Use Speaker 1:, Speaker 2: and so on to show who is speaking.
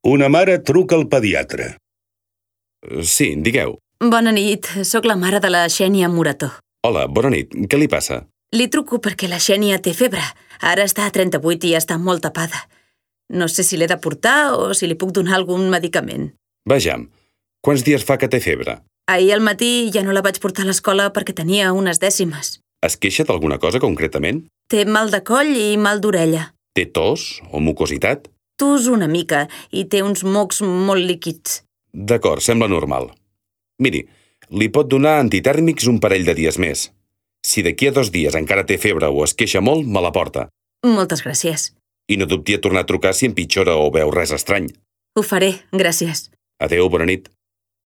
Speaker 1: Una mare truca al pediatre.
Speaker 2: Sí, digueu.
Speaker 3: Bona nit, sóc la mare de la Xènia Morató.
Speaker 2: Hola, bona nit. Què li passa?
Speaker 3: Li truco perquè la Xènia té febre. Ara està a 38 i està molt tapada. No sé si l'he de portar o si li puc donar algun medicament.
Speaker 2: Vejam. Quants dies fa que té febre?
Speaker 3: Ahir al matí ja no la vaig portar a l'escola perquè tenia unes dècimes.
Speaker 2: Es queixa d'alguna cosa concretament?
Speaker 3: Té mal de coll i mal d'orella.
Speaker 2: Té tos o mucositat?
Speaker 3: Tos una mica i té uns mocs molt líquids.
Speaker 2: D'acord, sembla normal. Miri, li pot donar antitèrmics un parell de dies més. Si d'aquí a 2 dies encara té febre o es queixa molt, me la porta.
Speaker 3: Moltes gràcies.
Speaker 2: I no dubti a tornar a trucar si empitjora o veu res estrany.
Speaker 3: Ho faré, gràcies.
Speaker 2: Adéu, bona nit.